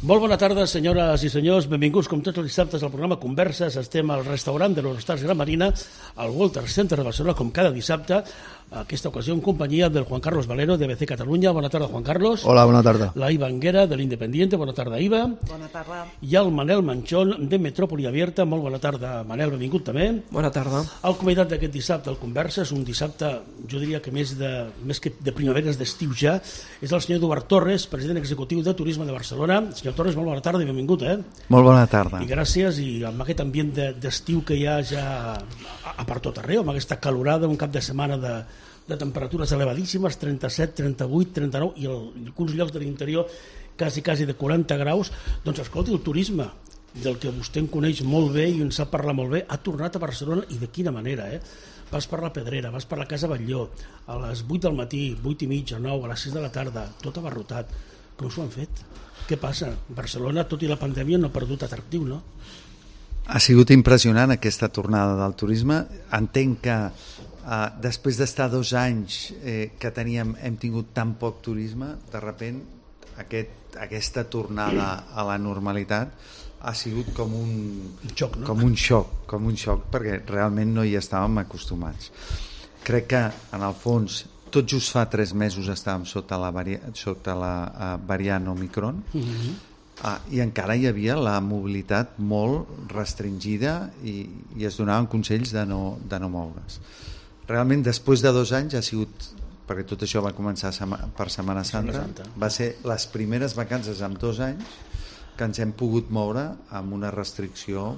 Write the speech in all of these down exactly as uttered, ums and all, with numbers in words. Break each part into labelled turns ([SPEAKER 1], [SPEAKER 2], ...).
[SPEAKER 1] Molt bona tarda, senyores i senyors. Benvinguts, com tots els dissabtes, al programa Converses. Estem al restaurant de l'Hortals Gran Marina, al Walter Center de Barcelona, com cada dissabte. Aquesta ocasió en companyia del Juan Carlos Valero, de B C Catalunya. Bona tarda, Juan Carlos.
[SPEAKER 2] Hola, bona tarda.
[SPEAKER 1] La Iva Anguera, de l'Independiente. Bona tarda, Iva.
[SPEAKER 3] Bona tarda.
[SPEAKER 1] I el Manel Manchón, de Metrópoli Abierta. Molt bona tarda, Manel, benvingut també.
[SPEAKER 4] Bona tarda.
[SPEAKER 1] El convidat d'aquest dissabte al Converses, un dissabte, jo diria que més, de, més que de primaveres, d'estiu ja, és el senyor Eduard Torres, president executiu de Turisme de Barcelona. Senyor Torres, molt bona tarda i benvingut, eh?
[SPEAKER 2] Molt bona tarda.
[SPEAKER 1] I gràcies, i amb aquest ambient d'estiu que hi ha ja a, a per tot arreu, amb aquesta calorada, un cap de setmana de, de temperatures elevadíssimes, trenta-set, trenta-vuit, trenta-nou, i el, alguns llocs de l'interior quasi, quasi de quaranta graus. Doncs escolti, el turisme, del que vostè en coneix molt bé i en sap parlar molt bé, ha tornat a Barcelona, i de quina manera, eh? Vas per la Pedrera, vas per la Casa Batlló, a les vuit del matí, vuit i mitja, nou, a les sis de la tarda, tot abarrotat. Com s'ho han fet? Què passa? Barcelona, tot i la pandèmia, no ha perdut atractiu, no?
[SPEAKER 2] Ha sigut impressionant aquesta tornada del turisme. Entenc que eh, després d'estar dos anys eh, que teníem, hem tingut tan poc turisme, de repent aquest, aquesta tornada a la normalitat ha sigut com un,
[SPEAKER 1] un xoc, no?
[SPEAKER 2] com un xoc, com un xoc, perquè realment no hi estàvem acostumats. Crec que, en el fons, tot just fa tres mesos estàvem sota la, vari... sota la uh, variant Omicron, uh-huh. uh, i encara hi havia la mobilitat molt restringida i, i es donaven consells de no, de no moure's. Realment, després de dos anys ha sigut, perquè tot això va començar sema... per Setmana Santa, Santa, va ser les primeres vacances en dos anys que ens hem pogut moure amb una restricció,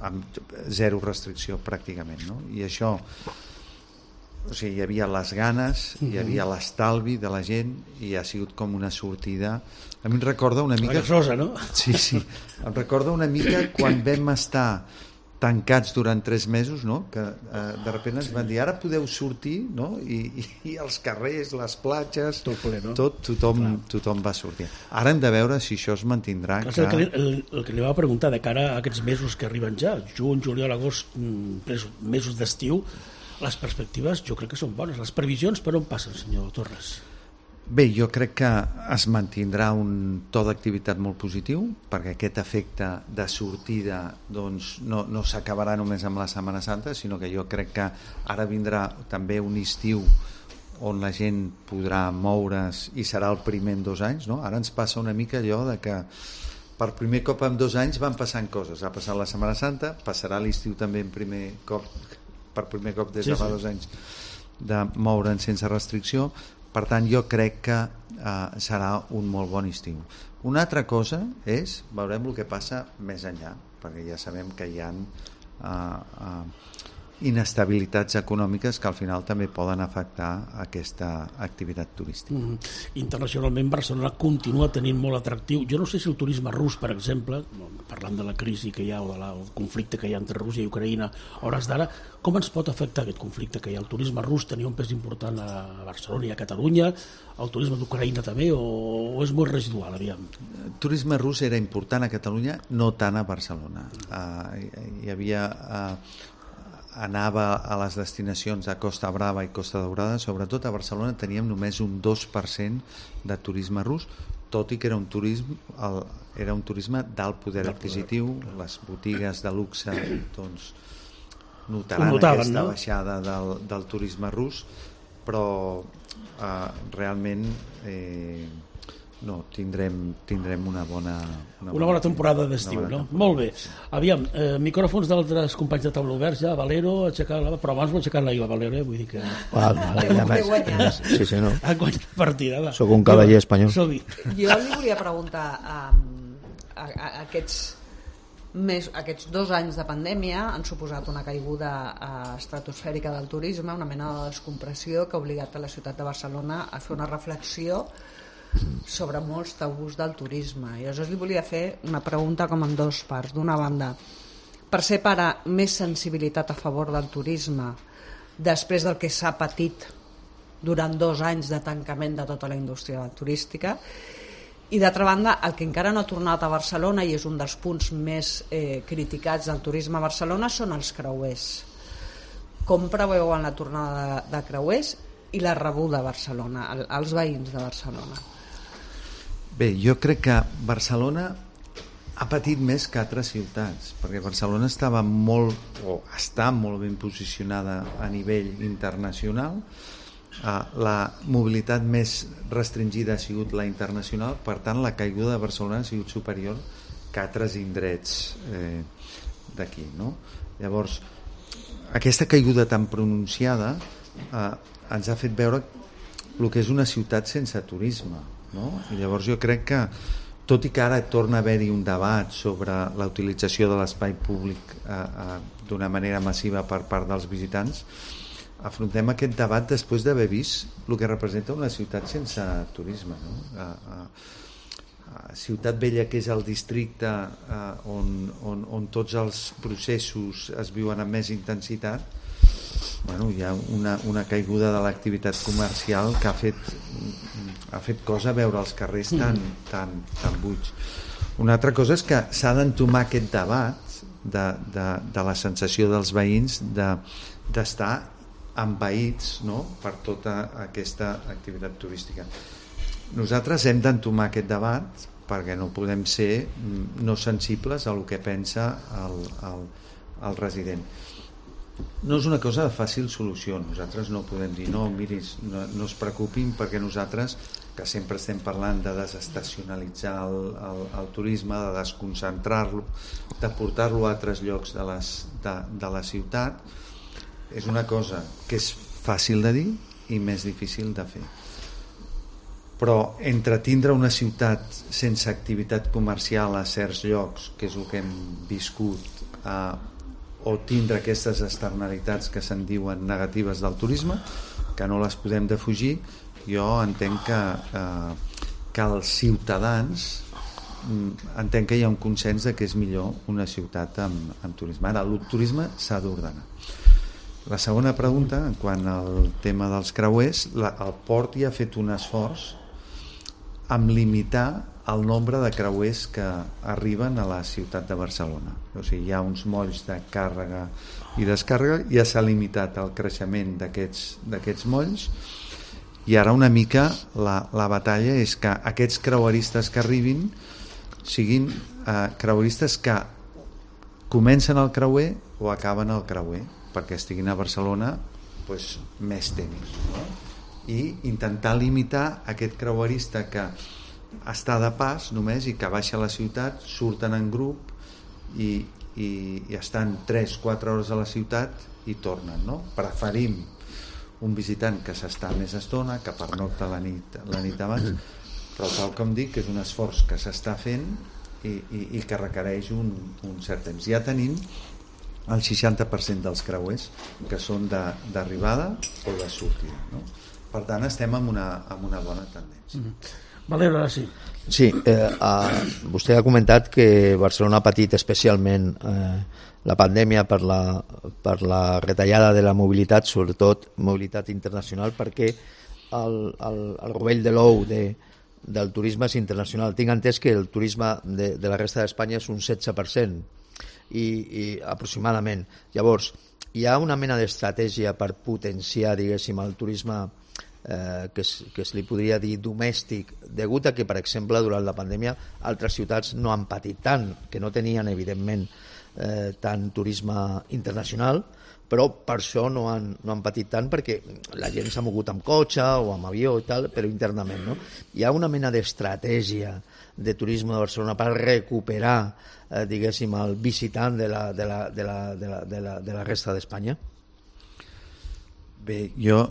[SPEAKER 2] amb zero restricció pràcticament, no? I això, o sigui, hi havia les ganes, hi havia l'estalvi de la gent i ha sigut com una sortida. A mi em recorda una mica...
[SPEAKER 1] Rosa, no?
[SPEAKER 2] Sí, sí. Em recorda una mica quan vam estar tancats durant tres mesos, no? Que eh, de sobte ens van dir ara podeu sortir, no? I, i, i els carrers, les platges,
[SPEAKER 1] tot, ple, no?
[SPEAKER 2] tot tothom, tothom va sortir. Ara hem de veure si això es mantindrà.
[SPEAKER 1] Que... El, que li, el, el que li va preguntar de cara a aquests mesos que arriben ja, juny, juliol, agost, mesos d'estiu, les perspectives jo crec que són bones. Les previsions per on passen, senyor Torres?
[SPEAKER 2] Bé, jo crec que es mantindrà un to d'activitat molt positiu, perquè aquest efecte de sortida doncs, no, no s'acabarà només amb la Setmana Santa, sinó que jo crec que ara vindrà també un estiu on la gent podrà moure's i serà el primer en dos anys, no? Ara ens passa una mica allò de que per primer cop en dos anys van passant coses. Ha passat la Setmana Santa, passarà l'estiu també en primer cop, per primer cop des de fa dos anys, de moure'n sense restricció. Per tant, jo crec que eh, serà un molt bon estiu. Una altra cosa és, veurem el que passa més enllà, perquè ja sabem que hi ha eh, eh, inestabilitats econòmiques que al final també poden afectar aquesta activitat turística.
[SPEAKER 1] Mm-hmm. Internacionalment Barcelona continua tenint molt atractiu. Jo no sé si el turisme rus, per exemple, parlant de la crisi que hi ha o del conflicte que hi ha entre Rússia i Ucraïna a hores d'ara, com ens pot afectar aquest conflicte que hi ha? El turisme rus tenia un pes important a Barcelona i a Catalunya, el turisme d'Ucraïna també, o, o és molt residual, aviam?
[SPEAKER 2] El turisme rus era important a Catalunya, no tant a Barcelona. Uh, hi havia... Uh, anava a les destinacions de Costa Brava i Costa Daurada, sobretot a Barcelona teníem només un dos per cent de turisme rus, tot i que era un turisme, el, era un turisme d'alt poder adquisitiu, les botigues de luxe doncs, notaran
[SPEAKER 1] notaven,
[SPEAKER 2] aquesta
[SPEAKER 1] no?
[SPEAKER 2] baixada del, del turisme rus, però eh, realment eh, no, tindrem, tindrem una bona
[SPEAKER 1] una, una bona temporada d'estiu, no? Temporada. Molt bé. Aviam, eh, micròfons d'altres companys de taula oberts ja, Valero, aixecar la... però abans m'ho aixecat la Iva Valero, eh? Vull dir que...
[SPEAKER 3] Ah, vale, ja més.
[SPEAKER 4] Sí, sí, no.
[SPEAKER 1] Ha guanyat la partida, va.
[SPEAKER 4] Soc un cavaller espanyol.
[SPEAKER 1] Som-hi.
[SPEAKER 3] Jo li volia preguntar um, a, a, a aquests més, aquests dos anys de pandèmia han suposat una caiguda uh, estratosfèrica del turisme, una mena de descompressió que ha obligat a la ciutat de Barcelona a fer una reflexió sobre molts tabús del turisme. I aleshores li volia fer una pregunta com en dos parts. D'una banda, percebre més sensibilitat a favor del turisme després del que s'ha patit durant dos anys de tancament de tota la indústria turística, i d'altra banda el que encara no ha tornat a Barcelona i és un dels punts més eh, criticats del turisme a Barcelona són els creuers. Com preveuen la tornada de, de creuers i la rebuda a Barcelona, als veïns de Barcelona?
[SPEAKER 2] Bé, jo crec que Barcelona ha patit més que altres ciutats, perquè Barcelona estava molt, o està molt ben posicionada a nivell internacional. La mobilitat més restringida ha sigut la internacional, per tant la caiguda de Barcelona ha sigut superior que altres indrets eh, d'aquí, no? Llavors, aquesta caiguda tan pronunciada eh, ens ha fet veure el que és una ciutat sense turisme, no? I llavors jo crec que, tot i que ara torna a haver-hi un debat sobre la utilització de l'espai públic eh, eh, d'una manera massiva per part dels visitants, afrontem aquest debat després d'haver vist el que representa una ciutat sense turisme, no? A, a, a Ciutat Vella, que és el districte eh, on, on, on tots els processos es viuen amb més intensitat, bueno, hi ha una, una caiguda de l'activitat comercial que ha fet, ha fet cosa veure els carrers tan, tan, tan buits. Una altra cosa és que s'ha d'entomar aquest debat de, de, de la sensació dels veïns de, d'estar envaïts, no?, per tota aquesta activitat turística. Nosaltres hem d'entomar aquest debat perquè no podem ser no sensibles a el que pensa el, el, el resident. No és una cosa de fàcil solució. Nosaltres no podem dir no, miris, no, no es preocupin, perquè nosaltres, que sempre estem parlant de desestacionalitzar el, el, el turisme, de desconcentrar-lo, de portar-lo a altres llocs de, les, de, de la ciutat, és una cosa que és fàcil de dir i més difícil de fer. Però entre tindre una ciutat sense activitat comercial a certs llocs, que és el que hem viscut, a o tindre aquestes externalitats que se'n diuen negatives del turisme, que no les podem defugir, jo entenc que, eh, que els ciutadans entenc que hi ha un consens de que és millor una ciutat amb, amb turisme. Ara, el turisme s'ha d'ordenar. La segona pregunta, en quant al tema dels creuers, la, el port hi ha fet un esforç amb limitar el nombre de creuers que arriben a la ciutat de Barcelona. O sigui, hi ha uns molls de càrrega i descàrrega, ja s'ha limitat el creixement d'aquests d'aquests molls, i ara una mica la, la batalla és que aquests creueristes que arribin siguin eh, creueristes que comencen el creuer o acaben el creuer, perquè estiguin a Barcelona pues, més temps, no? I intentar limitar aquest creuerista que està de pas només i que baixa a la ciutat, surten en grup i, i, i estan tres quatre hores a la ciutat i tornen, no? Preferim un visitant que s'està més estona, que pernocta la nit, la nit abans, però tal com dic, és un esforç que s'està fent i, i, i que requereix un, un cert temps. Ja tenim el seixanta per cent dels creuers que són d'arribada o de sortida, no? Per tant, estem en una, en una bona tendència.
[SPEAKER 1] Mm-hmm. Valero, ara sí.
[SPEAKER 4] Sí, eh, eh, vostè ha comentat que Barcelona ha patit especialment eh, la pandèmia per la, per la retallada de la mobilitat, sobretot mobilitat internacional, perquè el, el, el rovell de l'ou de, del turisme és internacional. Tinc entès que el turisme de, de la resta d'Espanya és un setze per cent i, i aproximadament. Llavors, hi ha una mena d'estratègia per potenciar, diguéssim, el turisme Eh, que, es, que es li podria dir domèstic, degut a que, per exemple, durant la pandèmia altres ciutats no han patit tant, que no tenien, evidentment, eh, tant turisme internacional, però per això no han, no han patit tant, perquè la gent s'ha mogut amb cotxe o amb avió i tal, però internament, no? Hi ha una mena d'estratègia de turisme de Barcelona per recuperar, eh, diguéssim, el visitant de la, de la, de la, de la, de la, de la resta d'Espanya?
[SPEAKER 2] Bé, jo,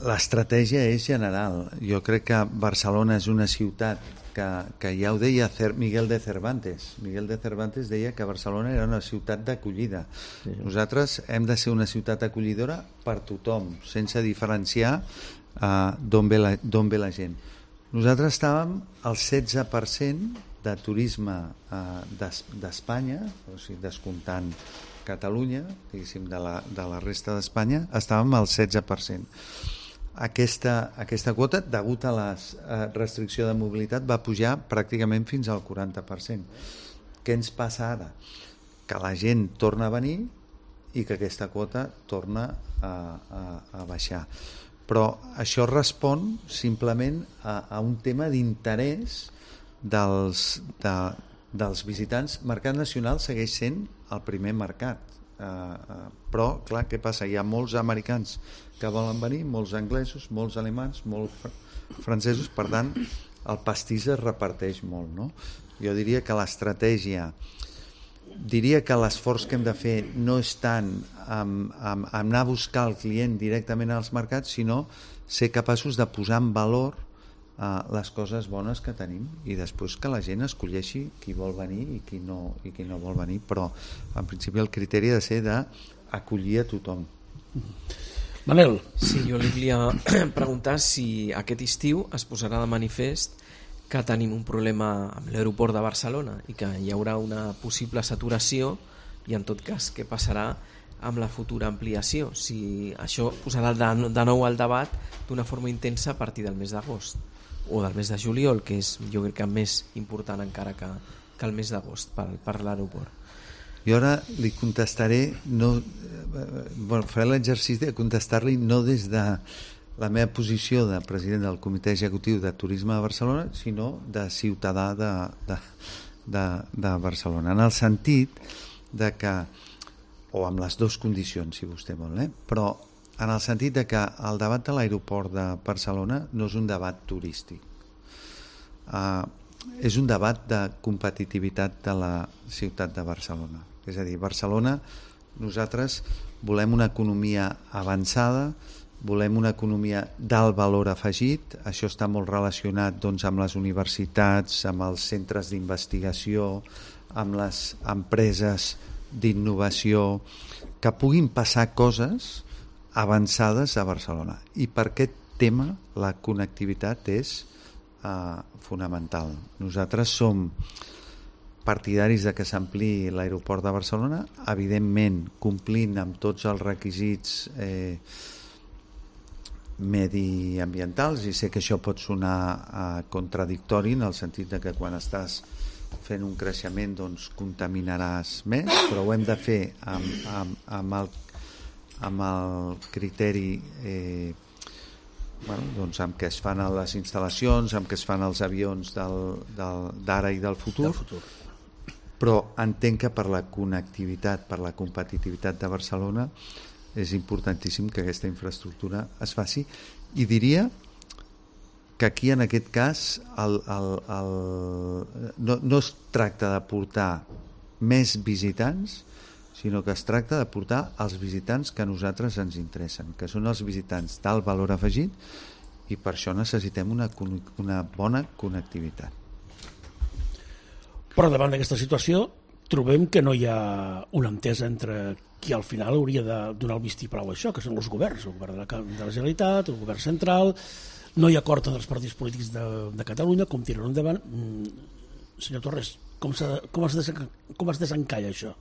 [SPEAKER 2] l'estratègia és general. Jo crec que Barcelona és una ciutat que, que ja ho deia Miguel de Cervantes. Miguel de Cervantes deia que Barcelona era una ciutat d'acollida. Sí. Nosaltres hem de ser una ciutat acollidora per tothom, sense diferenciar uh, d'on ve, la, d'on ve la gent. Nosaltres estàvem al setze per cent de turisme uh, d'Espanya, o sigui, descomptant Catalunya, diguéssim, de la, de la resta d'Espanya, estàvem al setze per cent. Aquesta, aquesta quota, degut a la eh, restricció de mobilitat, va pujar pràcticament fins al quaranta per cent. Què ens passa ara? Que la gent torna a venir i que aquesta quota torna a, a, a baixar. Però això respon simplement a, a un tema d'interès dels, de, dels visitants. Mercat nacional segueix sent el primer mercat, uh, uh, però clar, què passa? Hi ha molts americans que volen venir, molts anglesos, molts alemans, molts fr francesos, per tant el pastís es reparteix molt, no? Jo diria que l'estratègia, diria que l'esforç que hem de fer no és tant amb, amb, amb anar a buscar el client directament als mercats, sinó ser capaços de posar en valor uh, les coses bones que tenim i després que la gent escolleixi qui vol venir i qui no, i qui no vol venir, però en principi el criteri ha de ser d'acollir a tothom.
[SPEAKER 1] Manel.
[SPEAKER 5] Sí, jo li volia preguntar si aquest estiu es posarà de manifest que tenim un problema amb l'aeroport de Barcelona i que hi haurà una possible saturació i en tot cas què passarà amb la futura ampliació, si això posarà de, de nou al debat d'una forma intensa a partir del mes d'agost o del mes de juliol, que és jo crec que més important encara que, que el mes d'agost per, per l'aeroport.
[SPEAKER 2] Jo ara li contestaré, no, bueno, faré l'exercici de contestar-li no des de la meva posició de president del Comitè Executiu de Turisme de Barcelona, sinó de ciutadà de, de, de, de Barcelona, en el sentit de que, o amb les dues condicions, si vostè vol, eh? Però en el sentit de que el debat de l'aeroport de Barcelona no és un debat turístic. Uh, és un debat de competitivitat de la ciutat de Barcelona. És a dir, Barcelona, nosaltres volem una economia avançada, volem una economia d'alt valor afegit, això està molt relacionat doncs, amb les universitats, amb els centres d'investigació, amb les empreses d'innovació, que puguin passar coses avançades a Barcelona. I per aquest tema la connectivitat és uh, fonamental. Nosaltres som partidaris de que s'ampliï l'aeroport de Barcelona, evidentment complint amb tots els requisits eh, mediambientals, i sé que això pot sonar eh, contradictori en el sentit de que quan estàs fent un creixement doncs contaminaràs més, però ho hem de fer amb, amb, amb, el, amb el criteri eh, bueno, doncs amb què es fan les instal·lacions, amb què es fan els avions d'ara i del futur,
[SPEAKER 1] del futur.
[SPEAKER 2] Però entenc que per la connectivitat, per la competitivitat de Barcelona és importantíssim que aquesta infraestructura es faci, i diria que aquí en aquest cas el, el, el, no, no es tracta de portar més visitants, sinó que es tracta de portar els visitants que a nosaltres ens interessen, que són els visitants d'alt valor afegit, i per això necessitem una, una bona connectivitat.
[SPEAKER 1] Però davant d'aquesta situació trobem que no hi ha una entesa entre qui al final hauria de donar el vistiplau a això, que són els governs, el govern de la, de la Generalitat, el govern central. No hi ha acord entre els partits polítics de, de Catalunya, com tirar endavant. Mm, senyor Torres, com, com, es desen, com es desencalla això?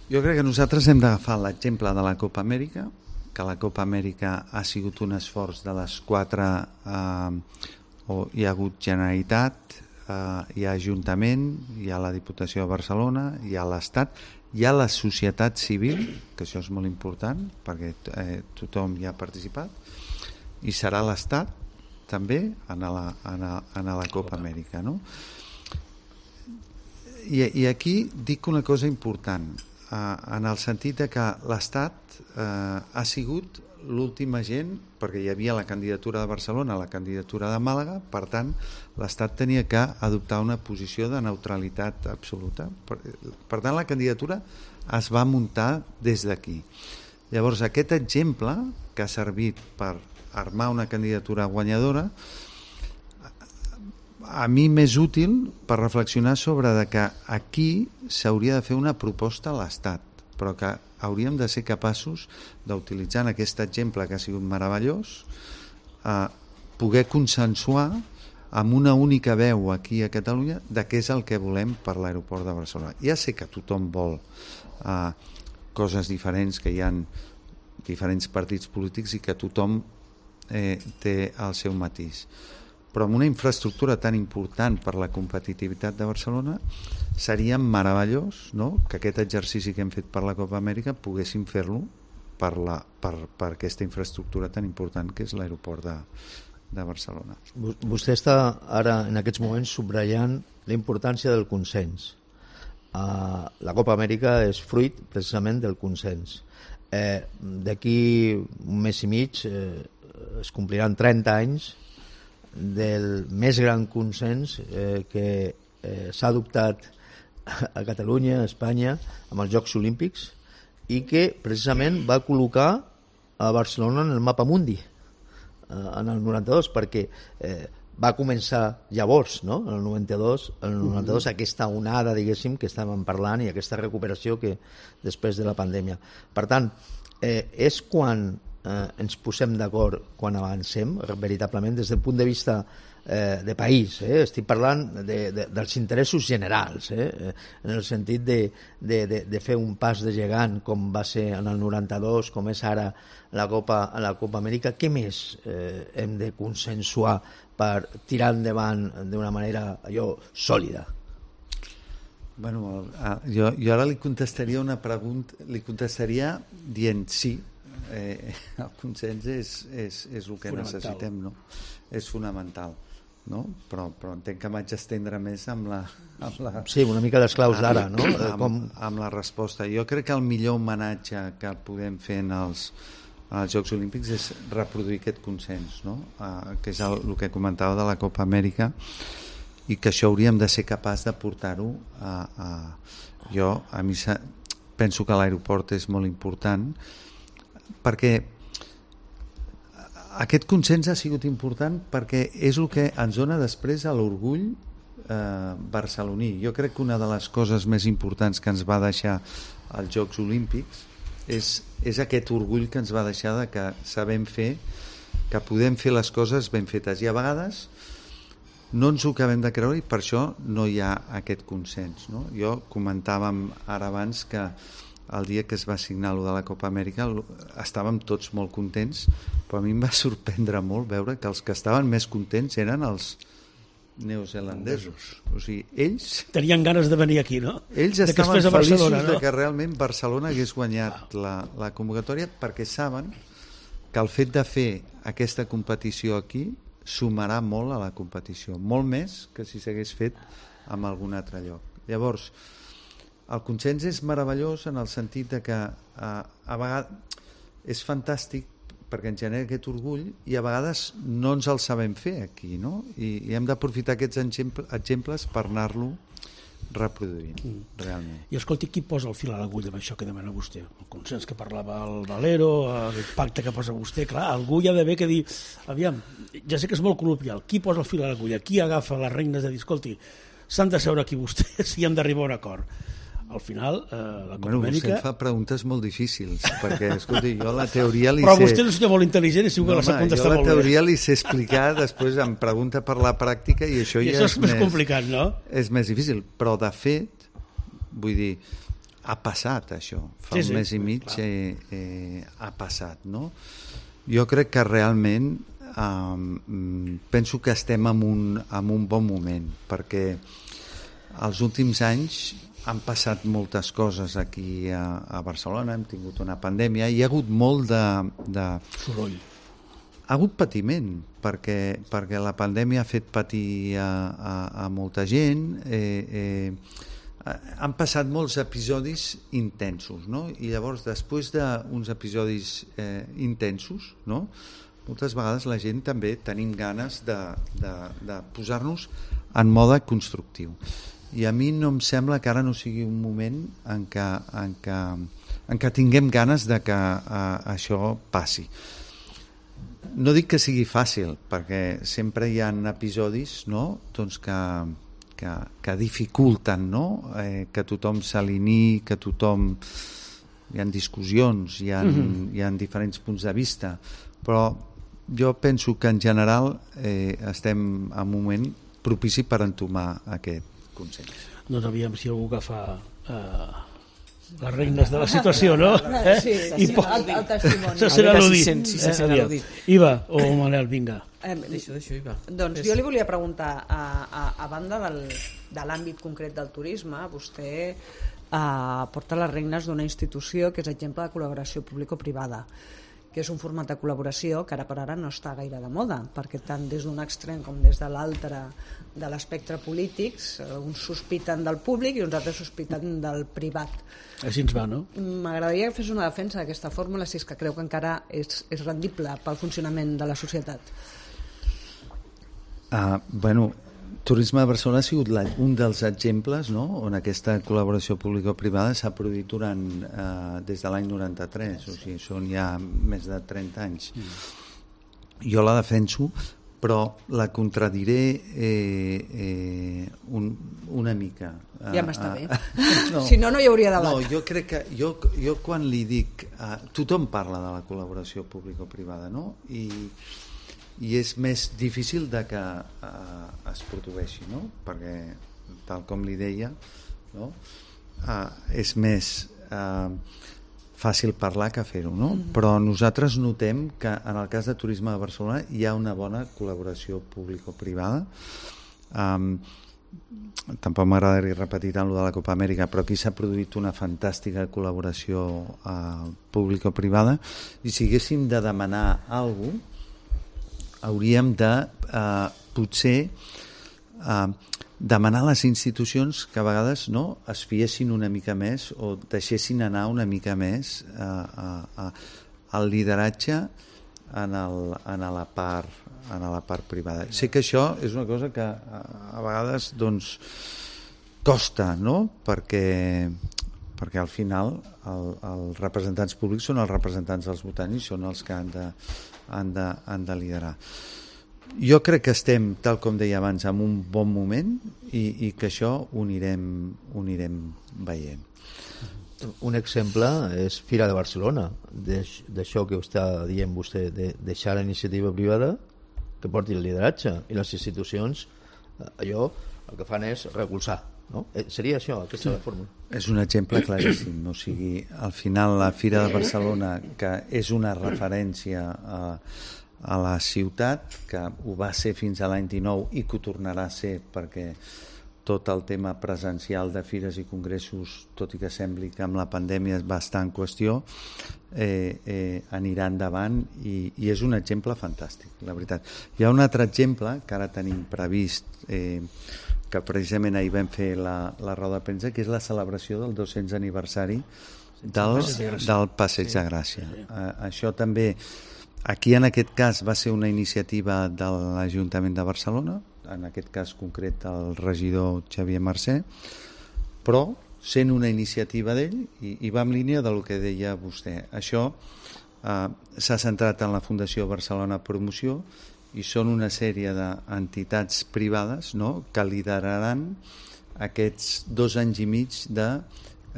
[SPEAKER 2] Jo crec que nosaltres hem d'agafar l'exemple de la Copa Amèrica, que la Copa Amèrica ha sigut un esforç de les quatre, eh, o hi ha hagut Generalitat, Uh, hi ha Ajuntament, hi ha la Diputació de Barcelona, hi ha l'Estat, hi ha la societat civil, que això és molt important perquè eh, tothom hi ha participat, i serà l'Estat també en la, en la, en la Copa Amèrica, no? I, i aquí dic una cosa important, uh, en el sentit de que l'Estat uh, ha sigut l'últim agent, perquè hi havia la candidatura de Barcelona, la candidatura de Màlaga, per tant l'Estat tenia que adoptar una posició de neutralitat absoluta. Per, per tant la candidatura es va muntar des d'aquí. Llavors aquest exemple que ha servit per armar una candidatura guanyadora a mi m'és útil per reflexionar sobre de que aquí s'hauria de fer una proposta a l'Estat, però que hauríem de ser capaços d'utilitzar en aquest exemple que ha sigut meravellós, eh, poder consensuar amb una única veu aquí a Catalunya de què és el que volem per l'aeroport de Barcelona. Ja sé que tothom vol eh, coses diferents, que hi ha diferents partits polítics i que tothom eh, té el seu matís, però amb una infraestructura tan important per la competitivitat de Barcelona seria meravellós, no?, que aquest exercici que hem fet per la Copa Amèrica poguéssim fer-lo per, la, per, per aquesta infraestructura tan important que és l'aeroport de, de Barcelona.
[SPEAKER 4] Vostè està ara, en aquests moments, subratllant la importància del consens. Uh, la Copa Amèrica és fruit, precisament, del consens. Eh, D'aquí un mes i mig eh, es compliran trenta anys del més gran consens eh, que eh, s'ha adoptat a Catalunya, a Espanya, amb els Jocs Olímpics, i que precisament va col·locar a Barcelona en el mapa mundi en el noranta-dos, perquè eh, va començar llavors, no? En el noranta-dos, en el noranta-dos uh-huh. aquesta onada, diguéssim, que estàvem parlant, i aquesta recuperació que després de la pandèmia. Per tant, eh, és quan eh, ens posem d'acord, quan avancem, veritablement, des del punt de vista eh, de país. Eh? Estic parlant de, de, dels interessos generals, eh? En el sentit de, de, de, de fer un pas de gegant, com va ser en el noranta-dos, com és ara la Copa, la Copa Amèrica. Què més eh, hem de consensuar per tirar endavant d'una manera allò sòlida?
[SPEAKER 2] Bueno, jo, jo ara li contestaria una pregunta, li contestaria dient sí, eh, el consens és, és, és el que necessitem, no? És fonamental, no? Però, però entenc que m'haig d'estendre més amb la, amb la...
[SPEAKER 4] Sí, una mica les claus d'ara, no?
[SPEAKER 2] Amb,
[SPEAKER 4] Com...
[SPEAKER 2] amb la resposta. Jo crec que el millor homenatge que podem fer en els als Jocs Olímpics és reproduir aquest consens, no? Uh, que és el, el que comentava de la Copa Amèrica, i que això hauríem de ser capaç de portar-ho a, a... Jo a mi sa... penso que l'aeroport és molt important, perquè aquest consens ha sigut important perquè és el que ens dona després a l'orgull eh, barceloní. Jo crec que una de les coses més importants que ens va deixar els Jocs Olímpics és, és aquest orgull que ens va deixar de que sabem fer, que podem fer les coses ben fetes, i a vegades no ens ho acabem de creure, i per això no hi ha aquest consens, no? Jo comentàvem ara abans que el dia que es va signar lo de la Copa Amèrica estàvem tots molt contents, però a mi em va sorprendre molt veure que els que estaven més contents eren els neozelandesos. O sigui, ells...
[SPEAKER 1] Tenien ganes de venir aquí, no?
[SPEAKER 2] Ells
[SPEAKER 1] de
[SPEAKER 2] estaven feliços Barcelona, no? de que realment Barcelona hagués guanyat la, la convocatòria, perquè saben que el fet de fer aquesta competició aquí sumarà molt a la competició, molt més que si s'hagués fet en algun altre lloc. Llavors, el consens és meravellós en el sentit de que a, a vegades és fantàstic perquè ens genera aquest orgull, i a vegades no ens el sabem fer aquí, no? I, i hem d'aprofitar aquests exemples per anar-lo reproduint, mm. realment.
[SPEAKER 1] I escolti, qui posa el fil a l'agulla amb això que demana vostè? El consens que parlava el Valero, el pacte que posa vostè, clar, algú hi ha d'haver que dir, aviam, ja sé que és molt col·loquial, qui posa el fil a l'agulla? Qui agafa les regnes de dir, escolti, s'han de seure aquí vostès i han d'arribar a un acord? Al final, eh, la Copa
[SPEAKER 2] bueno,
[SPEAKER 1] Amèrica...
[SPEAKER 2] Vostè fa preguntes molt difícils, perquè, escolti, jo la teoria li
[SPEAKER 1] Però
[SPEAKER 2] sé...
[SPEAKER 1] vostè és un senyor molt intel·ligent i segur que no, la sap contestar molt bé.
[SPEAKER 2] Jo la teoria li sé explicar, després em pregunta per la pràctica, i això
[SPEAKER 1] I
[SPEAKER 2] ja
[SPEAKER 1] això
[SPEAKER 2] és,
[SPEAKER 1] és més
[SPEAKER 2] més
[SPEAKER 1] complicat, no?
[SPEAKER 2] És més difícil, però de fet, vull dir, ha passat això. Fa sí, un sí, mes i mig eh, eh, ha passat, no? Jo crec que realment eh, penso que estem en un, en un bon moment, perquè els últims anys han passat moltes coses aquí a, a Barcelona, hem tingut una pandèmia, i hi ha hagut molt de... de...
[SPEAKER 1] soroll.
[SPEAKER 2] Ha hagut patiment, perquè, perquè la pandèmia ha fet patir a, a, a molta gent, eh, eh, han passat molts episodis intensos, no? I llavors, després d'uns episodis eh, intensos, no? Moltes vegades la gent també tenim ganes de, de, de posar-nos en mode constructiu. I a mi no em sembla que ara no sigui un moment en què, en què, en què tinguem ganes de que uh, això passi. No dic que sigui fàcil, perquè sempre hi ha episodis, no? doncs que, que, que dificulten, no? eh, que tothom s'alineï, que tothom... Hi ha discussions, hi ha, mm-hmm. hi ha diferents punts de vista, però jo penso que en general eh, estem en un moment propici per entomar aquest consens.
[SPEAKER 1] Doncs aviam si algú agafa eh, les regnes de la situació, no? Eh?
[SPEAKER 3] Sí, sí, po- el, el testimoni.
[SPEAKER 1] Això serà l'udit.
[SPEAKER 5] Si se sent al·ludit.
[SPEAKER 1] Iva o Manel, vinga.
[SPEAKER 3] Eh,
[SPEAKER 5] Deixo, deixo, Iva.
[SPEAKER 3] Doncs jo li volia preguntar, a, a, a banda del, de l'àmbit concret del turisme, vostè eh, porta les regnes d'una institució que és exemple de col·laboració público-privada, que és un format de col·laboració que ara per ara no està gaire de moda, perquè tant des d'un extrem com des de l'altre de l'espectre polítics, uns sospiten del públic i uns altres sospiten del privat.
[SPEAKER 1] Així ens va, no?
[SPEAKER 3] M'agradaria que fes una defensa d'aquesta fórmula si és que creu que encara és, és rendible pel funcionament de la societat.
[SPEAKER 2] Uh, bueno, Turisme de Barcelona ha sigut la, un dels exemples, no?, on aquesta col·laboració público-privada s'ha produït durant, eh, des de l'any noranta-tres, o sigui, són ja més de trenta anys. Mm. Jo la defenso, però la contradiré eh, eh, un, una mica.
[SPEAKER 3] Ja m'està
[SPEAKER 2] eh,
[SPEAKER 3] bé.
[SPEAKER 2] Eh, no,
[SPEAKER 3] si no, no hi hauria debat.
[SPEAKER 2] No, jo crec que, jo, jo quan li dic, eh, tothom parla de la col·laboració público-privada, no?, i i és més difícil de que eh, es produeixi, no? Perquè, tal com li deia, no? eh, és més eh, fàcil parlar que fer-ho, no? Mm-hmm. Però nosaltres notem que en el cas de Turisme de Barcelona hi ha una bona col·laboració público-privada. Um, tampoc m'agradaria repetir tant lo de la Copa Amèrica, però aquí s'ha produït una fantàstica col·laboració uh, público-privada, i si haguéssim de demanar alguna cosa, hauríem de eh, potser eh, demanar a les institucions que a vegades, no, es fiessin una mica més o deixessin anar una mica més eh, eh, el lideratge en, el, en, la part, en la part privada. Sé que això és una cosa que a, a vegades doncs, costa, no?, perquè, perquè al final el, els representants públics són els representants dels votants i són els que han de Han de, han de liderar. Jo crec que estem, tal com deia abans, en un bon moment i, i que això ho anirem, ho anirem veient.
[SPEAKER 4] Un exemple és Fira de Barcelona, d'això que està dient vostè, de deixar la iniciativa privada que porti el lideratge, i les institucions allò el que fan és recolzar, no? Seria això, aquesta sí. Fórmula.
[SPEAKER 2] És un exemple claríssim, o sigui, al final la Fira de Barcelona, que és una referència a, a la ciutat, que ho va ser fins a l'any dinou i que ho tornarà a ser, perquè tot el tema presencial de fires i congressos, tot i que sembli que amb la pandèmia va estar en qüestió, eh, eh, anirà endavant i, i és un exemple fantàstic, la veritat. Hi ha un altre exemple que ara tenim previst, eh, que precisament ahir vam fer la, la roda de premsa, que és la celebració del dos-cents aniversari del, del Passeig de Gràcia. Eh, això també, aquí en aquest cas va ser una iniciativa de l'Ajuntament de Barcelona, en aquest cas concret el regidor Xavier Mercè, però sent una iniciativa d'ell i, i va en línia del que deia vostè. Això eh, s'ha centrat en la Fundació Barcelona Promoció i són una sèrie d'entitats privades, no?, que lideraran aquests dos anys i mig de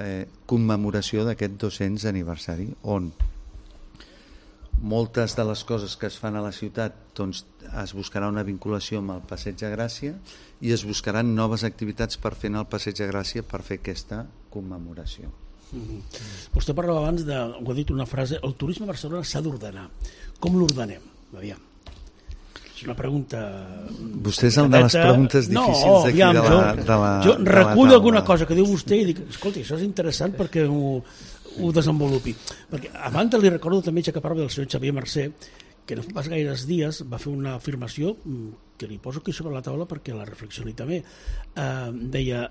[SPEAKER 2] eh, commemoració d'aquest dos-cents aniversari, on moltes de les coses que es fan a la ciutat doncs, es buscarà una vinculació amb el Passeig de Gràcia i es buscaran noves activitats per fer en el Passeig de Gràcia per fer aquesta commemoració.
[SPEAKER 1] Mm-hmm. Vostè parlava abans de, ho ha dit una frase, el turisme a Barcelona s'ha d'ordenar. Com l'ordenem? Aviam. És una pregunta...
[SPEAKER 2] Vostè és el de les preguntes difícils
[SPEAKER 1] no,
[SPEAKER 2] d'aquí
[SPEAKER 1] aviam,
[SPEAKER 2] de la, de la
[SPEAKER 1] jo
[SPEAKER 2] de
[SPEAKER 1] recullo
[SPEAKER 2] la
[SPEAKER 1] alguna cosa que diu vostè i dic, escolti, això és interessant perquè ho, ho desenvolupi. Perquè abans li recordo també que parla del senyor Xavier Mercè, que no fa pas gaires dies va fer una afirmació que li poso aquí sobre la taula perquè la reflexioni també. Eh, deia,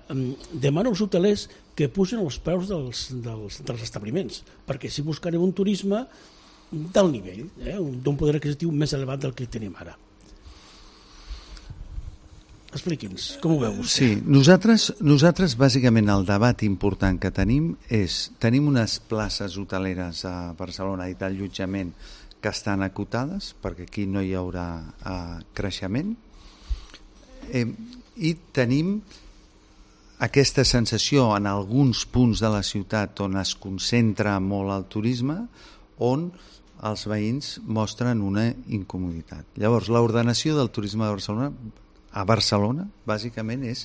[SPEAKER 1] demano als hotelers que pugen els preus dels, dels, dels establiments, perquè si buscarem un turisme del nivell, eh, d'un poder adquisitiu més elevat del que tenim ara. Expliqui'ns, com ho veu vostè?
[SPEAKER 2] Sí, nosaltres, nosaltres bàsicament el debat important que tenim és, tenim unes places hoteleres a Barcelona i d'allotjament que estan acotades, perquè aquí no hi haurà eh, creixement, eh, i tenim aquesta sensació en alguns punts de la ciutat on es concentra molt el turisme, on els veïns mostren una incomoditat. Llavors, l'ordenació del turisme de Barcelona a Barcelona, bàsicament, és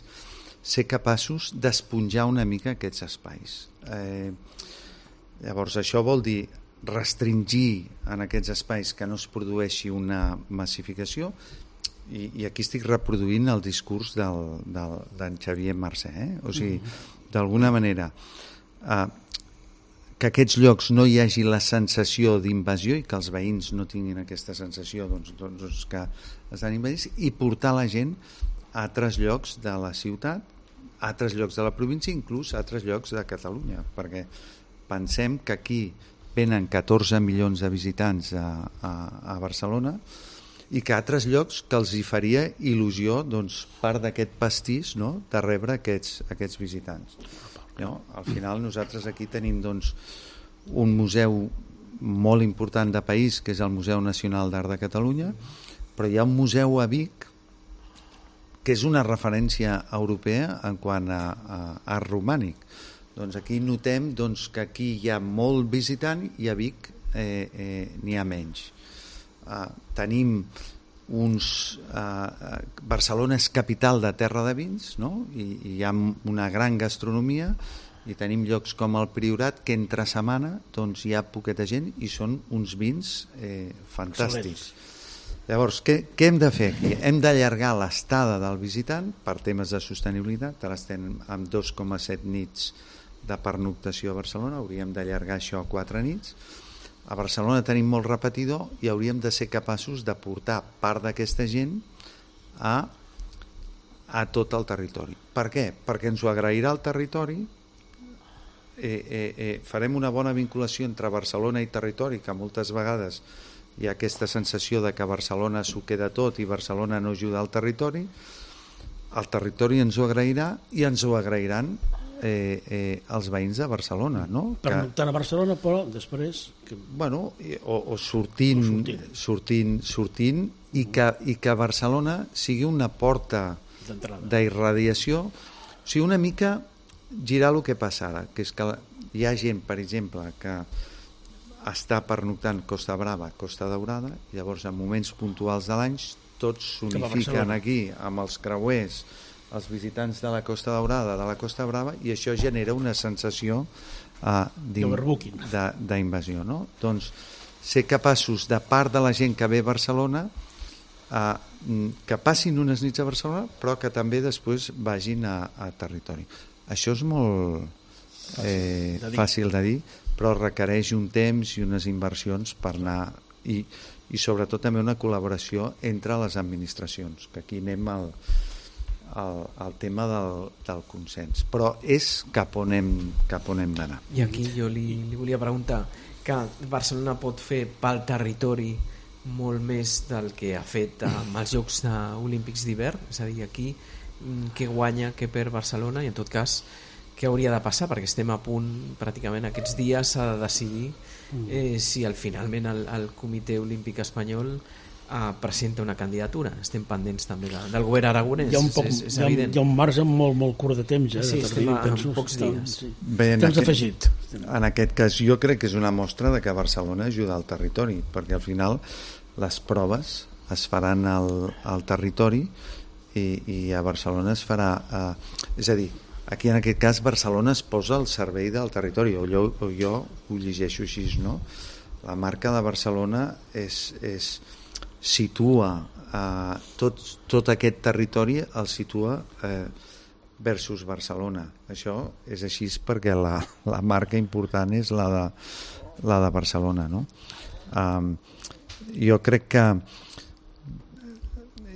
[SPEAKER 2] ser capaços d'esponjar una mica aquests espais. Eh, llavors, això vol dir restringir en aquests espais que no es produeixi una massificació, i, i aquí estic reproduint el discurs del, del, d'en Xavier Mercè, eh? O sigui, d'alguna manera, eh, que aquests llocs no hi hagi la sensació d'invasió i que els veïns no tinguin aquesta sensació doncs, doncs, que estan invadits, i portar la gent a altres llocs de la ciutat, a altres llocs de la província, inclús a altres llocs de Catalunya, perquè pensem que aquí venen catorze milions de visitants a, a, a Barcelona, i que a altres llocs que els hi faria il·lusió, doncs, part d'aquest pastís, no?, de rebre aquests, aquests visitants. No? Al final nosaltres aquí tenim, doncs, un museu molt important de país, que és el Museu Nacional d'Art de Catalunya, però hi ha un museu a Vic que és una referència europea en quant a, a art romànic. Doncs aquí notem, doncs, que aquí hi ha molt visitant i a Vic eh, eh, n'hi ha menys. Uh, tenim uns uh, Barcelona és capital de terra de vins, no? I, i hi ha una gran gastronomia i tenim llocs com el Priorat que entre setmana doncs, hi ha poqueta gent i són uns vins eh, fantàstics. Excel·lents. Llavors, què, què hem de fer aquí? Hem d'allargar l'estada del visitant per temes de sostenibilitat. Ara estem amb dos coma set nits de pernoctació a Barcelona, hauríem d'allargar això a quatre nits. A Barcelona tenim molt repetidor i hauríem de ser capaços de portar part d'aquesta gent a, a tot el territori. Per què? Perquè ens ho agrairà el territori, eh, eh, eh, farem una bona vinculació entre Barcelona i territori, que moltes vegades hi ha aquesta sensació de que Barcelona s'ho queda tot i Barcelona no ajuda al territori. El territori ens ho agrairà i ens ho agrairan Eh, eh, els veïns de Barcelona, no?
[SPEAKER 1] Pernoctant a Barcelona, però després que...
[SPEAKER 2] bueno, o, o sortint, o sortint sortint, sortint i, que, i que Barcelona sigui una porta d'irradiació, o sigui, una mica girar el que passa ara, que és que hi ha gent, per exemple, que està pernoctant Costa Brava, Costa Daurada, i llavors en moments puntuals de l'any tots s'unifiquen aquí amb els creuers, els visitants de la Costa Daurada, de la Costa Brava, i això genera una sensació uh, d'invasió, no? Doncs ser capaços, de part de la gent que ve a Barcelona, uh, que passin unes nits a Barcelona, però que també després vagin a, a territori. Això és molt eh, fàcil de dir, però requereix un temps i unes inversions per anar, i, i sobretot també una col·laboració entre les administracions, que aquí anem al El, el tema del, del consens, però és cap on hem, cap on hem d'anar.
[SPEAKER 5] I aquí jo li, li volia preguntar que Barcelona pot fer pel territori molt més del que ha fet amb els Jocs Olímpics d'hivern, és a dir, aquí què guanya, què perd Barcelona, i en tot cas què hauria de passar, perquè estem a punt pràcticament aquests dies s'ha de decidir eh, si al, finalment el, el Comitè Olímpic Espanyol Uh, presenta una candidatura. Estem pendents també de, del govern aragonès.
[SPEAKER 1] Hi ha un, poc,
[SPEAKER 5] és, és
[SPEAKER 1] hi ha,
[SPEAKER 5] evident.
[SPEAKER 1] Hi ha un marge molt, molt curt de temps, eh,
[SPEAKER 5] sí,
[SPEAKER 1] de
[SPEAKER 5] estem a,
[SPEAKER 1] penso,
[SPEAKER 5] en pocs dies.
[SPEAKER 1] Sí.
[SPEAKER 2] Bé, en,
[SPEAKER 1] temps
[SPEAKER 2] aquest,
[SPEAKER 1] afegit.
[SPEAKER 2] En aquest cas jo crec que és una mostra de que Barcelona ajuda al territori, perquè al final les proves es faran al, al territori i, i a Barcelona es farà eh, és a dir, aquí en aquest cas Barcelona es posa al servei del territori, o jo, o jo ho llegeixo així, no? La marca de Barcelona és, és situa eh, tot, tot aquest territori, el situa eh, versus Barcelona. Això és així perquè la, la marca important és la de, la de Barcelona, no? Um, jo crec que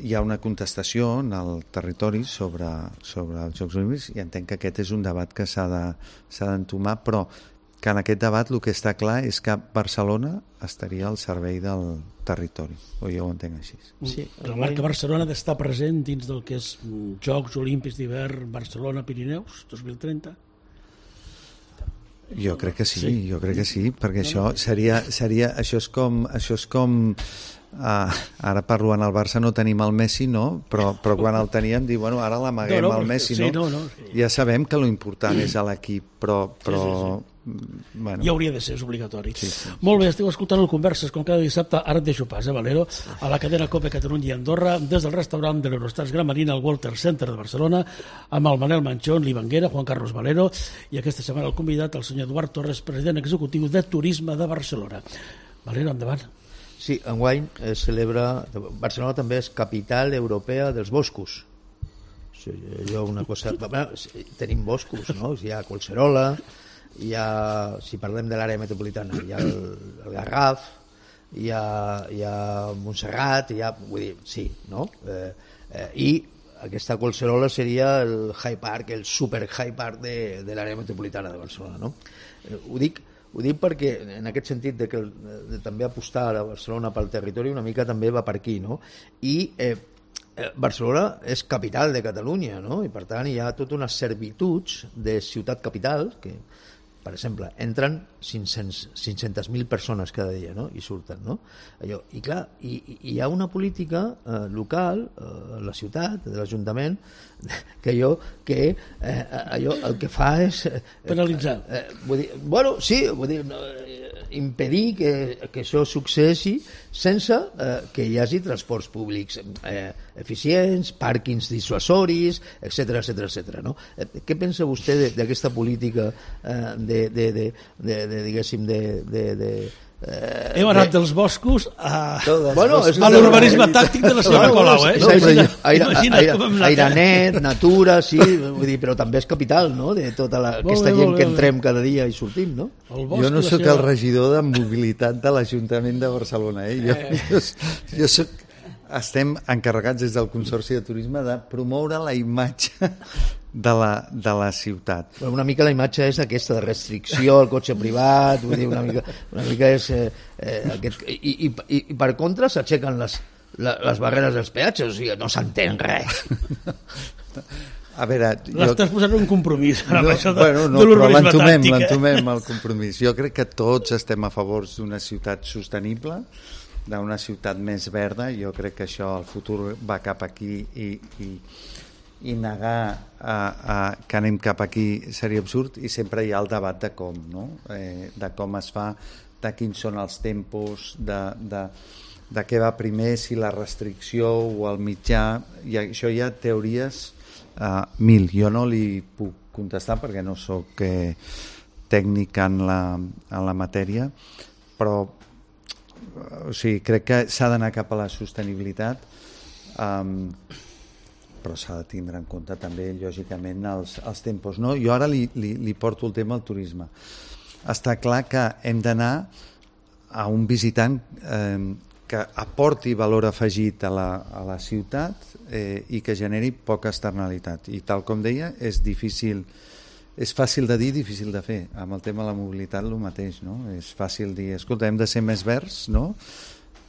[SPEAKER 2] hi ha una contestació en el territori sobre, sobre els Jocs Olímpics i entenc que aquest és un debat que s'ha de, s'ha d'entomar, però que en aquest debat el que està clar és que Barcelona estaria al servei del territori, o jo ho entenc així.
[SPEAKER 1] Sí, la marca Barcelona ha d'estar present dins del que és Jocs Olímpics d'hivern Barcelona-Pirineus dos mil trenta?
[SPEAKER 2] Jo crec que sí, sí. jo crec que sí, perquè això seria, seria això és com, això és com Uh, ara parlo en el Barça no tenim el Messi, no? Però, però quan el teníem dir, bueno, ara l'amaguem no, no, el Messi,
[SPEAKER 1] sí,
[SPEAKER 2] no?
[SPEAKER 1] no, no sí.
[SPEAKER 2] Ja sabem que lo important és a l'equip, però, però
[SPEAKER 1] sí, sí, sí.
[SPEAKER 2] Bueno.
[SPEAKER 1] Ja hauria de ser, és obligatori.
[SPEAKER 2] Sí, sí.
[SPEAKER 1] Molt bé, esteu escoltant el Converses com cada dissabte, ara et deixo pas, eh, Valero, a la cadena Cope Catalunya i Andorra, des del restaurant de l'Eurostars Gran Marina al Walter Center de Barcelona, amb el Manel Manchón, l'Ivanguera, Juan Carlos Valero, i aquesta setmana el convidat, el senyor Eduard Torres, president executiu de Turisme de Barcelona. Valero, endavant.
[SPEAKER 4] Sí, enguany es celebra... Barcelona també és capital europea dels boscos. Sí, jo una cosa... Bueno, tenim boscos, no? Hi ha Collserola, hi ha, si parlem de l'àrea metropolitana, hi ha el, el Garraf, hi ha, hi ha Montserrat, hi ha, vull dir, sí, no? Eh, eh, I aquesta Collserola seria el High Park, el super High Park de, de l'àrea metropolitana de Barcelona, no? Eh, ho dic Ho dic perquè en aquest sentit de que de també apostar a Barcelona pel territori una mica també va per aquí, no? I eh, Barcelona és capital de Catalunya, no? I per tant hi ha tota una servituds de ciutat capital que, per exemple, entren cinc-centes mil persones cada dia, no? I surten, no? Allò, i clar, i, i hi ha una política eh, local eh, a la ciutat, de l'Ajuntament, que allò que eh, allò el que fa és eh,
[SPEAKER 1] penalitzar.
[SPEAKER 4] Eh, vull dir, bueno, sí, vull dir, no, impedir que, que això successi sense eh, que hi hagi transports públics eh, eficients, pàrquings dissuasoris, etcètera, etcètera, etcètera, no? Eh, què pensa vostè d'aquesta política eh, de, de, de, de, de, diguéssim, de... de, de
[SPEAKER 1] Eh, hem anat dels boscos a,
[SPEAKER 4] bueno,
[SPEAKER 1] a l'urbanisme tàctic de la senyora Colau, eh?
[SPEAKER 4] No, aire, aire, aire, aire net, natura, sí, vull dir, però també és capital, no?, de tota la, aquesta bé, gent bé, que entrem cada dia i sortim, no?
[SPEAKER 2] Jo no sóc el regidor de mobilitat de l'Ajuntament de Barcelona, eh? Jo, jo, jo soc... Estem encarregats des del Consorci de Turisme de promoure la imatge de la, de la ciutat.
[SPEAKER 4] Bueno, una mica la imatge és aquesta de restricció al cotxe privat, vull dir, una mica, una mica és eh, eh, aquest, i, i, i, i per contra s'aixequen les, les barreres dels peatges, o sigui, no s'entén res.
[SPEAKER 2] A veure,
[SPEAKER 1] l'estàs posant un compromís ara,
[SPEAKER 2] no,
[SPEAKER 1] això de,
[SPEAKER 2] bueno, no,
[SPEAKER 1] de l'urbanisme tàctic, eh?
[SPEAKER 2] l'entomem el compromís. Jo crec que tots estem a favor d'una ciutat sostenible, d'una ciutat més verda. Jo crec que això, el futur va cap aquí i, i, i negar a, a, que anem cap aquí seria absurd, i sempre hi ha el debat de com, no? Eh, de com es fa, de quins són els tempos, de, de, de què va primer, si la restricció o el mitjà, i això hi ha teories uh, mil. Jo no li puc contestar perquè no sóc eh, tècnic en la, en la matèria, però o sigui, crec que s'ha d'anar cap a la sostenibilitat, um, però s'ha de tindre en compte també, lògicament, els, els tempos, no? Jo ara li, li, li porto el tema al turisme. Està clar que hem d'anar a un visitant eh, que aporti valor afegit a la, a la ciutat eh, i que generi poca externalitat. I tal com deia, és difícil... És fàcil de dir, difícil de fer. Amb el tema de la mobilitat el mateix, no? És fàcil dir, escolta, hem de ser més verds, no?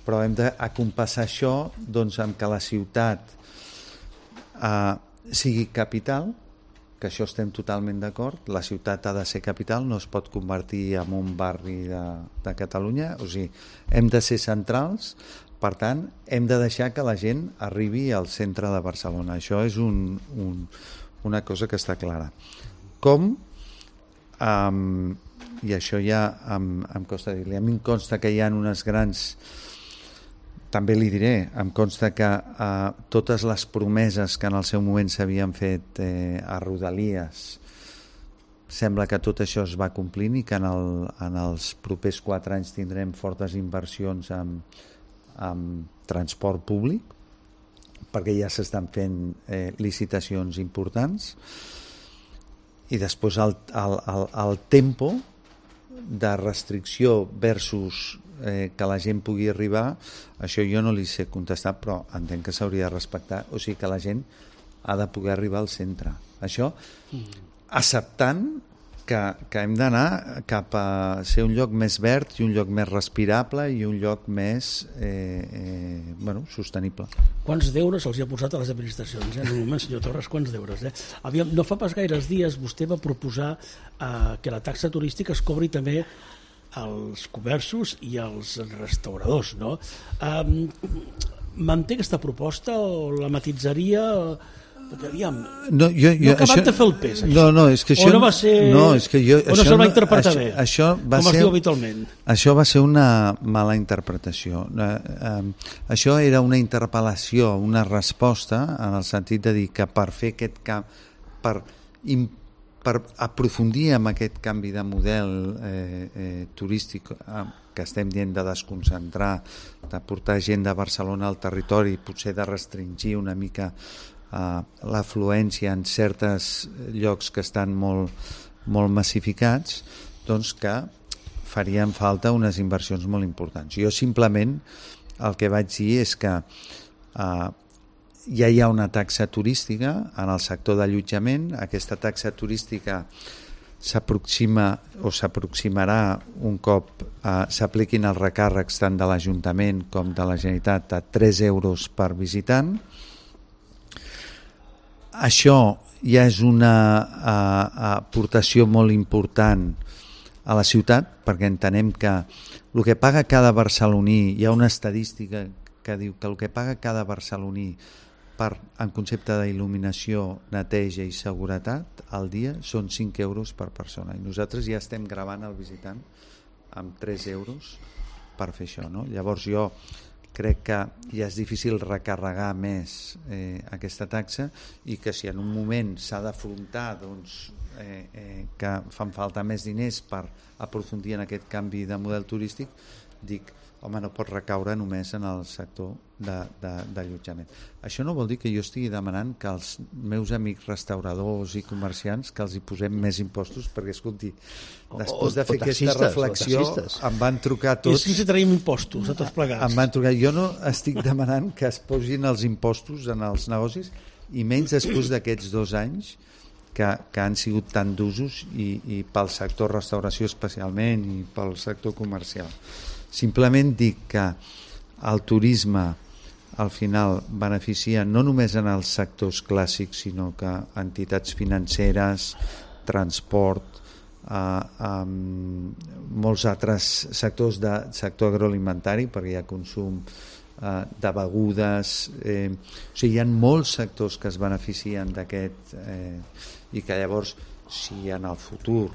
[SPEAKER 2] Però hem d'acompassar això, doncs, amb que la ciutat eh, sigui capital, que això estem totalment d'acord. La ciutat ha de ser capital, no es pot convertir en un barri de, de Catalunya. O sigui, hem de ser centrals, per tant, hem de deixar que la gent arribi al centre de Barcelona. Això és un, un, una cosa que està clara. Com, um, i això ja em, em costa dir-li, a mi em consta que hi ha unes grans, també li diré, em consta que uh, totes les promeses que en el seu moment s'havien fet eh, a Rodalies, sembla que tot això es va complint i que en, el, en els propers quatre anys tindrem fortes inversions en, en transport públic, perquè ja s'estan fent eh, licitacions importants. I després el, el, el, el tempo de restricció versus eh, que la gent pugui arribar, això jo no li sé contestar, però entenc que s'hauria de respectar, o sigui que la gent ha de poder arribar al centre. Això acceptant que, que hem d'anar cap a ser un lloc més verd i un lloc més respirable i un lloc més eh, eh, bueno, sostenible.
[SPEAKER 1] Quants deures els hi ha posat a les administracions? Eh? En un moment, senyor Torres, quants deures? Eh? Aviam, no fa pas gaires dies vostè va proposar eh, que la taxa turística es cobri també als comerços i als restauradors, no? Eh, manté aquesta proposta o la matitzaria... Perquè, aviam,
[SPEAKER 2] no, jo, jo,
[SPEAKER 1] no ha acabat
[SPEAKER 2] això,
[SPEAKER 1] de fer el pes, això.
[SPEAKER 2] No, no, és que això,
[SPEAKER 1] o no va ser...
[SPEAKER 2] No, és que jo,
[SPEAKER 1] o no se'l va interpretar
[SPEAKER 2] això,
[SPEAKER 1] bé,
[SPEAKER 2] això va
[SPEAKER 1] com
[SPEAKER 2] ser,
[SPEAKER 1] es diu habitualment.
[SPEAKER 2] Això va ser una mala interpretació. Eh, eh, això era una interpel·lació, una resposta, en el sentit de dir que per fer aquest camp, per, per aprofundir en aquest canvi de model eh, eh, turístic eh, que estem dient de desconcentrar, de portar gent de Barcelona al territori, potser de restringir una mica Uh, l'afluència en certs llocs que estan molt molt massificats, doncs que farien falta unes inversions molt importants. Jo simplement el que vaig dir és que eh, ja hi ha una taxa turística en el sector d'allotjament. Aquesta taxa turística s'aproxima o s'aproximarà un cop eh, s'apliquin els recàrrecs tant de l'Ajuntament com de la Generalitat a tres euros per visitant. Això ja és una uh, aportació molt important a la ciutat, perquè entenem que el que paga cada barceloní, hi ha una estadística que diu que el que paga cada barceloní per, en concepte d'il·luminació, neteja i seguretat al dia són cinc euros per persona, i nosaltres ja estem gravant el visitant amb tres euros per fer això, no? Llavors jo crec que ja és difícil recarregar més eh, aquesta taxa, i que si en un moment s'ha d'afrontar doncs, eh, eh, que fan falta més diners per aprofundir en aquest canvi de model turístic, dic, home, no pot recaure només en el sector de, de, d'allotjament. Això no vol dir que jo estigui demanant que els meus amics restauradors i comerciants que els hi posem més impostos, perquè, escolti, després de fer o aquesta reflexió em van trucar tots...
[SPEAKER 1] I si traiem impostos a tots plegats.
[SPEAKER 2] Em van trucar. Jo no estic demanant que es posin els impostos en els negocis, i menys després d'aquests dos anys que, que han sigut tan d'usos, i, i pel sector restauració especialment, i pel sector comercial. Simplement dic que el turisme al final beneficia no només en els sectors clàssics, sinó que entitats financeres, transport, eh, eh, molts altres sectors de sector agroalimentari, perquè hi ha consum eh, de begudes, eh, o sigui, hi ha molts sectors que es beneficien d'aquest, eh, i que llavors, si en el futur,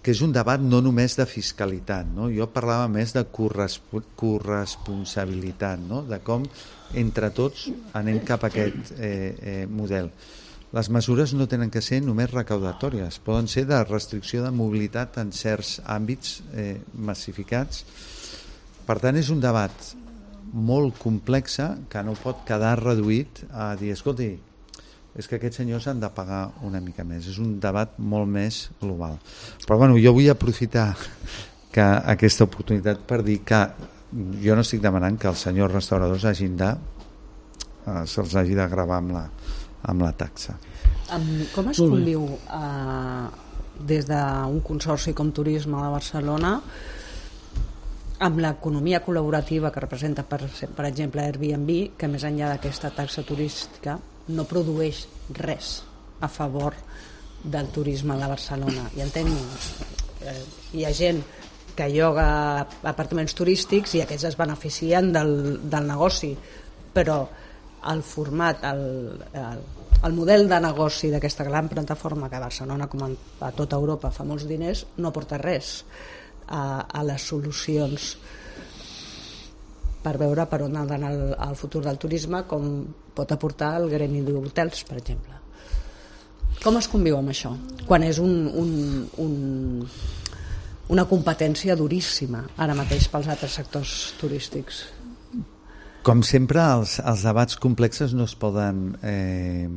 [SPEAKER 2] que és un debat no només de fiscalitat, no? Jo parlava més de corresp corresponsabilitat, no? De com entre tots anem cap a aquest eh, eh, model. Les mesures no tenen que ser només recaudatòries, poden ser de restricció de mobilitat en certs àmbits eh, massificats. Per tant, és un debat molt complex que no pot quedar reduït a dir, escolti, és que aquests senyors han de pagar una mica més. És un debat molt més global. Però bueno, jo vull aprofitar que aquesta oportunitat per dir que jo no estic demanant que els senyors restauradors hagin de eh, se'ls hagi de gravar amb la, amb la taxa.
[SPEAKER 3] Um, com es conviu uh, des d'un consorci com Turisme de Barcelona amb l'economia col·laborativa que representa, per, per exemple, Airbnb, que més enllà d'aquesta taxa turística no produeix res a favor del turisme de Barcelona? I entenc, eh, hi ha gent que lloga apartaments turístics i aquests es beneficien del, del negoci, però el format, el, el, el model de negoci d'aquesta gran plataforma que a Barcelona, com a tota Europa, fa molts diners, no aporta res a, a les solucions per veure per on ha d'anar el, el futur del turisme, com pot aportar el gremi d'hotels, per exemple. Com es conviu amb això? Quan és un, un, un, una competència duríssima ara mateix pels altres sectors turístics.
[SPEAKER 2] Com sempre, els, els debats complexes no es poden eh,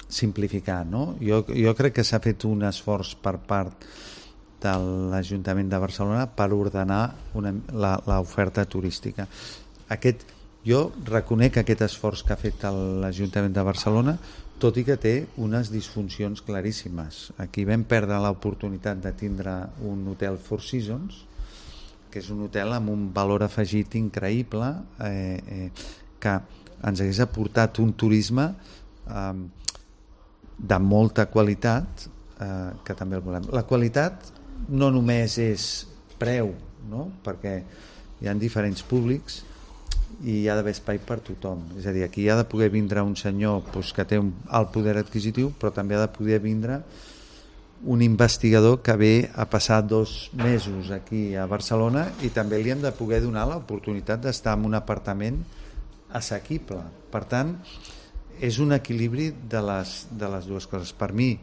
[SPEAKER 2] simplificar, no? Jo, jo crec que s'ha fet un esforç per part de l'Ajuntament de Barcelona per ordenar l'oferta turística. Aquest, jo reconec aquest esforç que ha fet l'Ajuntament de Barcelona, tot i que té unes disfuncions claríssimes. Aquí vam perdre l'oportunitat de tindre un hotel Four Seasons, que és un hotel amb un valor afegit increïble, eh, eh, que ens hagués aportat un turisme eh, de molta qualitat, eh, que també el volem. La qualitat no només és preu, no? Perquè hi ha diferents públics i hi ha d'haver espai per tothom. És a dir, aquí hi ha de poder vindre un senyor doncs, que té un alt poder adquisitiu, però també ha de poder vindre un investigador que ve a passar dos mesos aquí a Barcelona, i també li hem de poder donar l'oportunitat d'estar en un apartament assequible. Per tant, és un equilibri de les, de les dues coses. Per mi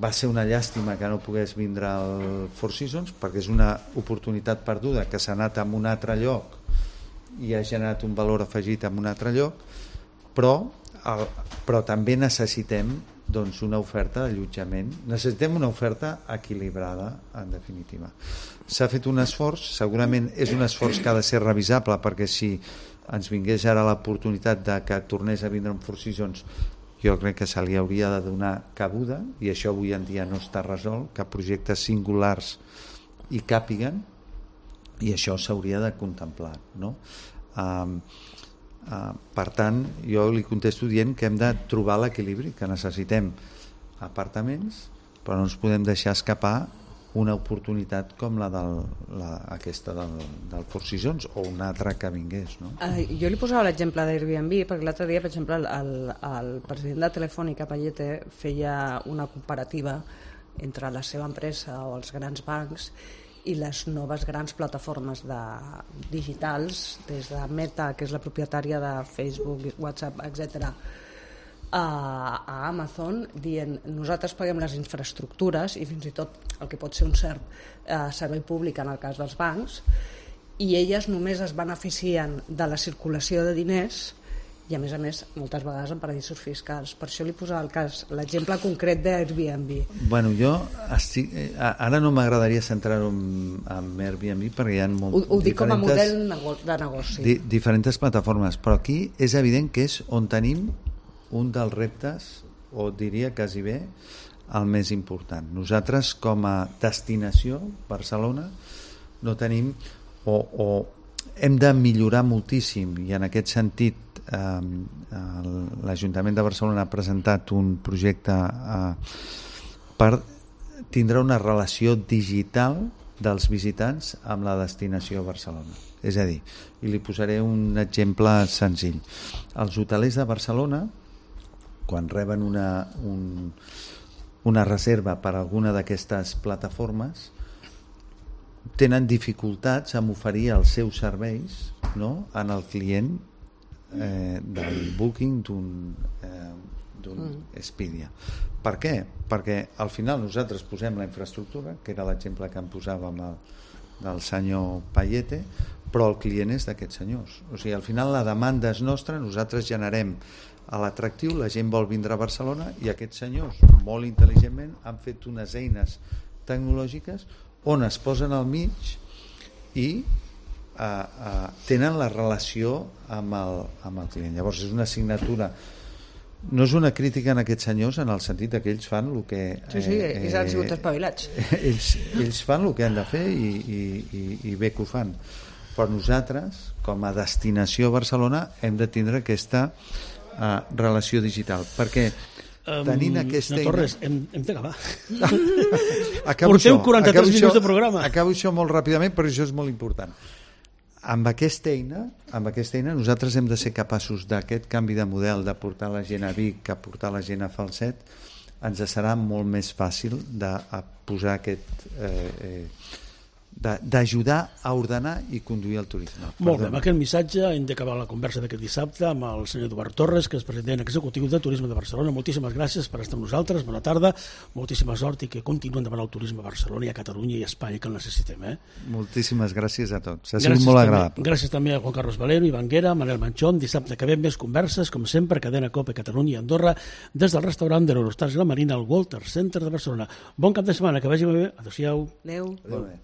[SPEAKER 2] va ser una llàstima que no pogués vindre al Four Seasons, perquè és una oportunitat perduda que s'ha anat a un altre lloc i ha generat un valor afegit en un altre lloc, però, el, però també necessitem doncs una oferta d'allotjament. Necessitem una oferta equilibrada, en definitiva. S'ha fet un esforç, segurament és un esforç que ha de ser revisable, perquè si ens vingués ara l'oportunitat de que tornés a vindre en Four Seasons, jo crec que se li hauria de donar cabuda, i això avui en dia no està resolt, que projectes singulars hi càpiguen, i això s'hauria de contemplar, no? Um, uh, per tant, jo li contesto dient que hem de trobar l'equilibri, que necessitem apartaments, però no ens podem deixar escapar una oportunitat com la, del, la aquesta del, del Four Seasons o una altra que vingués, no?
[SPEAKER 3] Uh, jo li posava l'exemple d'Airbnb perquè l'altre dia, per exemple, el, el president de Telefònica, Payete, feia una comparativa entre la seva empresa o els grans bancs i les noves grans plataformes de, digitals, des de Meta, que és la propietària de Facebook, WhatsApp, etcètera, a, a Amazon, dient nosaltres paguem les infraestructures i fins i tot el que pot ser un cert eh, servei públic en el cas dels bancs, i elles només es beneficien de la circulació de diners i a més a més moltes vegades en paradisos fiscals. Per això li posava el cas, l'exemple concret d'Airbnb.
[SPEAKER 2] Bueno, jo estic, ara no m'agradaria centrar-ho en, en Airbnb perquè hi ha molt,
[SPEAKER 3] ho, ho dic com a model de negoci.
[SPEAKER 2] Di, diferents plataformes, però aquí és evident que és on tenim un dels reptes, o diria quasi bé el més important. Nosaltres com a destinació, Barcelona, no tenim o, o hem de millorar moltíssim, i en aquest sentit l'Ajuntament de Barcelona ha presentat un projecte eh, per tindre una relació digital dels visitants amb la destinació Barcelona. És a dir, i li posaré un exemple senzill. Els hotelers de Barcelona, quan reben una, un, una reserva per alguna d'aquestes plataformes, tenen dificultats en oferir els seus serveis, no?, en el client Eh, del booking d'un eh, d'un mm. Expedia. Per què? Perquè al final nosaltres posem la infraestructura, que era l'exemple que em posava amb el, del senyor Payete, però el client és d'aquests senyors. O sigui, al final la demanda és nostra, nosaltres generem a l'atractiu, la gent vol vindre a Barcelona i aquests senyors, molt intel·ligentment, han fet unes eines tecnològiques on es posen al mig i Uh, uh, tenen la relació amb el, amb el client. Llavors és una assignatura, no és una crítica en aquests senyors en el sentit que ells fan el que
[SPEAKER 3] sí, sí, eh, ells han sigut espavilats,
[SPEAKER 2] ells, ells fan el que han de fer i, i, i, i bé que ho fan, però nosaltres com a destinació a Barcelona hem de tindre aquesta uh, relació digital, perquè
[SPEAKER 1] Um,
[SPEAKER 2] tenint aquesta
[SPEAKER 1] no, Torres, hem, hem d'acabar.
[SPEAKER 2] Acabo
[SPEAKER 1] Portem
[SPEAKER 2] això,
[SPEAKER 1] quaranta-tres
[SPEAKER 2] acabo
[SPEAKER 1] minuts
[SPEAKER 2] això,
[SPEAKER 1] de programa.
[SPEAKER 2] Acabo això molt ràpidament, però això és molt important. Amb aquesta eina, amb aquesta eina nosaltres hem de ser capaços d'aquest canvi de model, de portar la gent a Vic, a portar la gent a Falset, ens serà molt més fàcil de a posar aquest eh, eh, d'ajudar a ordenar i conduir el turisme.
[SPEAKER 1] Molt bé, amb aquest missatge hem d'acabar la conversa d'aquest dissabte amb el senyor Eduard Torres, que és president executiu de Turisme de Barcelona. Moltíssimes gràcies per estar amb nosaltres, bona tarda, moltíssima sort i que continuem demanant el turisme a Barcelona i a Catalunya i a Espanya, que el necessitem. Eh?
[SPEAKER 2] Moltíssimes gràcies a tots, ha
[SPEAKER 1] gràcies
[SPEAKER 2] sigut molt
[SPEAKER 1] també,
[SPEAKER 2] agradable.
[SPEAKER 1] Gràcies també a Juan Carlos Valero, Ivan Guera, Manel Manchón. Dissabte que ve més converses, com sempre, Cadena Cope Catalunya i Andorra, des del restaurant de l'Eurostars i la Marina al Walter Center de Barcelona. Bon cap de setmana, que vagi bé. Adéu-siau.
[SPEAKER 3] Adéu.
[SPEAKER 2] Molt bé.